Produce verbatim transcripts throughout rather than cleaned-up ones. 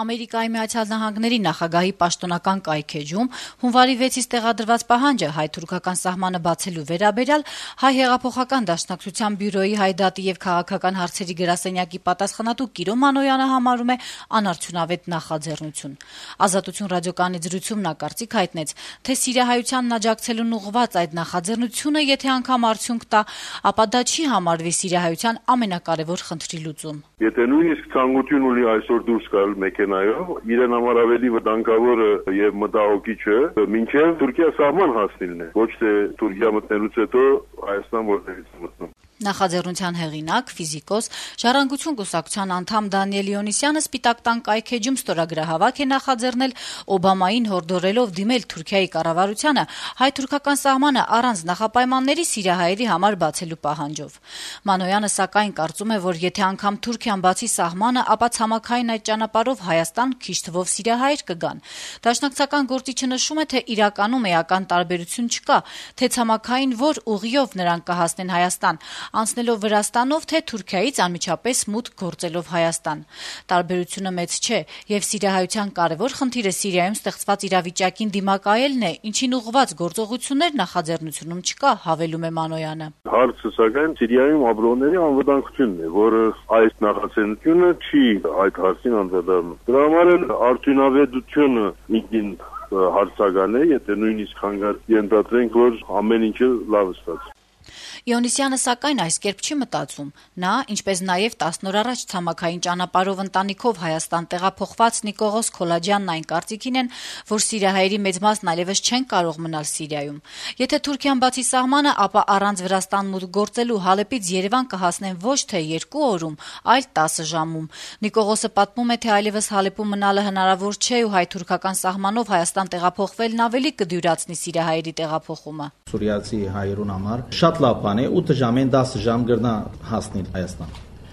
Ամերիկայի Միացյալ Նահանգների նախագահի պաշտոնական կայքէջում հունվարի վեցից տեղադրված պահանջը հայ-թուրքական սահմանը բացելու վերաբերյալ Հայ հեղափոխական դաշնակցության բյուրոյի հայդատի եւ քաղաքական հարցերի գրասենյակի պատասխանատու Կիրո Մանոյանը համարում է անարդյունավետ նախաձեռնություն։ Ազատություն ռադիոկայանի զրույցում նա կարծիք հայտնեց, թե սիրիահայությանն աջակցելուն ուղղված այդ նախաձեռնությունը, եթե անգամ արդյունք տա, ապա դա չի համարվի սիրիահայության ամենակարևոր խնդրի լուծում։ Եթե նույնիսկ ցանկություն ունի այսօր դուրս գալ մեքենայով, իրեն համար ավելի վտանգավոր եւ մտահոգիչ է մինչեւ Թուրքիա սահման հասնելն է, ոչ թե Թուրքիա մտնելուց հետո Հայաստան որտեղից մտնում։ Նախաձեռնության հեղինակ, ֆիզիկոս, Ժառանգություն կուսակցության անդամ Դանիել Իոնիսյանը Սպիտակ տան կայքէջում ստորագրահավաք է նախաձեռնել Օբամային հորդորելով դիմել Թուրքիայի կառավարությանը հայ-թուրքական սահմանը առանց նախապայմանների սիրիահայերի համար բացելու պահանջով։ Մանոյանը սակայն կարծում է, որ եթե անգամ Թուրքիան բացի սահմանը, ապա ցամաքային այդ ճանապարհով Հայաստան քիչ թվով սիրիահայեր կգան։ Դաշնակցական գործիչը նշում է, թե իրականում էական տարբերություն չկա, թե ցամաքային որ ուղիով նրանք կհասնեն Հայաստան, անցնելով Վրաստանով, թե Թուրքիայից անմիջապես մուտք գործելով Հայաստան։ Տարբերությունը մեծ չէ, եւ սիրիահայության կարևոր խնդիրը Սիրիայում ստեղծված իրավիճակին դիմակայելն է, ինչին ուղղված գործողություններ նախաձեռնությունում չկա, հավելում է Մանոյանը։ Հարցը սակայն Սիրիայում ապրողների անվտանգությունն է, որը այս նախաձեռնությունը չի այդ հարցին անդրադառնում։ Դրա համար էլ արդյունավետությունը ինքնին հարցական է, եթե նույնիսկ հանգարց ենթադրենք, որ ամեն ինչը լավ ստացվի։ Իոնիսյանը սակայն այս կերպ չի մտածում։ Նա, ինչպես նաև տասն օր առաջ ցամաքային ճանապարհով ընտանիքով Հայաստան տեղափոխված Նիկողոս Քոլաջյանն այն կարծիքին են, որ սիրիահայերի մեծ մասն այլևս չեն կարող մնալ Սիրիայում։ Եթե Թուրքիան բացի սահմանը, ապա առանց Վրաստան մուտք գործելու Հալեպից Երևան կհասնեն ոչ թե երկու օրում, այլ տասը ժամում։ Նիկողոսը պատմում է, թե այլևս Հալեպում մնալը հնարավոր չէ ու հայ-թուրքական սահմանով Հայաստան տեղափոխվելն ավելի կդյուրացնի սիրիահայերի տեղափոխումը։ Սուրիացի հայերուն համար շատ լավ բան է, ութ ժամեն դասը ժամ գրնա հասնել Հայաստան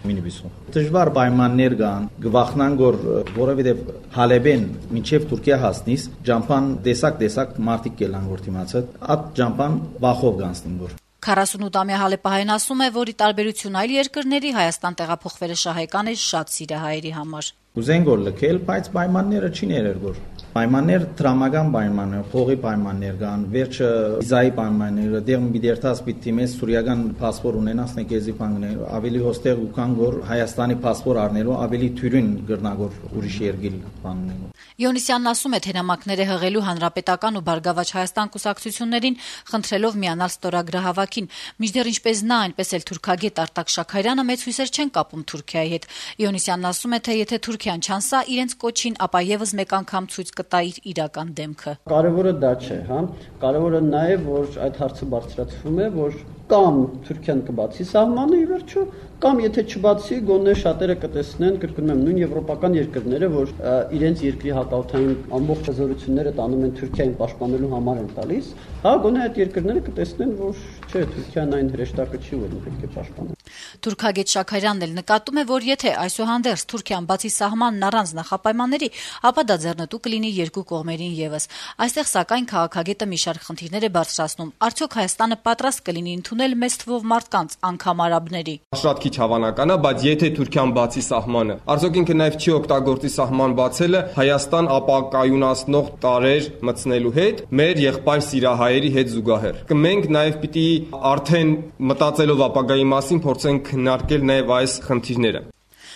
մինիբուսով։ Դժվար պայմաններ կան, գվախնան որ որովհետև Հալեբեն մինչև Թուրքիա հասնիս, ջամփան տեսակ-տեսակ մարտիկ կելան որ դիմացած, այդ ջամփան վախով գանցնին որ։ քառասունութամյա հալեպահայն ասում է, որ ի տարբերություն այլ երկրների Հայաստան տեղափոխվելը շահեկան է շատ սիրիահայերի համար։ Ուզեն գոր լքել, բայց պայմանները չի ներեր գոր։ Պայմաններ դրամական պայմաններ, փողի պայմաններ կան, վերջը վիզայի պայմանները, դեղ մի դերտաս պիտի մեզ սուրիական паспорт ունենաս նեկեզի բանկներ, ավելի հոստեղ ու կան գոր Հայաստանի паспорт առնելու ավելի թյուրին գրնագոր ուրիշ երկիր բաններ։ Իոնիսյանն ասում է, թե նամակները հղելու հանրապետական ու Բարգավաճ Հայաստան կուսակցություններին խնդրելով միանալ ստորագրահավաքին, մինչդեռ ինչպես նա, այնպես էլ թուրքագետ Արտակ Շաքարյանը մեծ հույսեր չեն կապում Թուրքիայի հետ։ Իոնիսյանն ասում է, թե եթե Թուրքիան չանսա իրենց կոչին, ապա եւս մեկ անգամ ցույց կտա իր իրական դեմքը։ Կարևորը դա չէ, հա, կարևորը նա է, որ այդ հարցը բարձրացվում է, որ կամ Թուրքիան կբացի սահմանը ի վերջո, կամ եթե չբացի, գոնե շատերը կտեսնեն, կրկնում եմ, նույն եվրոպական երկրները, որ իրենց երկրի հակաօդային ամբողջ հզորությունները տանում են Թուրքիային պաշտպանելու համար են տալիս, հա, գոնե այդ երկրները կտեսնեն, որ չէ, Թուրքիան այն հրեշտակը չի, որ պետք է պաշտպանել։ Թուրքագետ Շաքարյանն էլ նկատում է, որ եթե այսուհանդերձ Թուրքիան բացի սահմանն առանց նախապայմանների, ապա դա ձեռնտու կլինի երկու կողմերին եւս։ Այստեղ սակայն քաղաքագետը մի շարք խնդիրներ է բարձրացնում։ Արդյոք Հայաստանը պատրաստ կլինի ընդունել մեծ թվով մարդկանց, անգամ արաբների։ Շատ քիչ հավանական է, բայց եթե Թուրքիան բացի սահմանը, արդյոք ինքը նաեւ չի օգտագործի սահման բացելը Հայաստան ապակայունացնող տարեր մտցնելու հետ, մեր եղբայր սիրիահայերի հետ զուգահեռ։ Մենք նաեւ պիտի արդեն մտածելով ապագայի մասին փորձենք քննարկել նաեւ այս խնդիրները։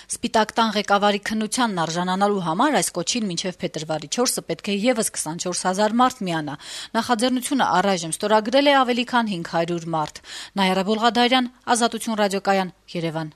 Սպիտակ տան ղեկավարի քննությանն արժանանալու համար այս կոչին մինչև փետրվարի չորսը պետք է եւս քսանչորս հազար մարդ միանա։ Նախաձեռնությունը առայժմ ստորագրել է ավելի քան հինգ հարյուր մարդ։ Նաիրա Բոլղադարյան, Ազատություն ռադիոկայան, Երևան։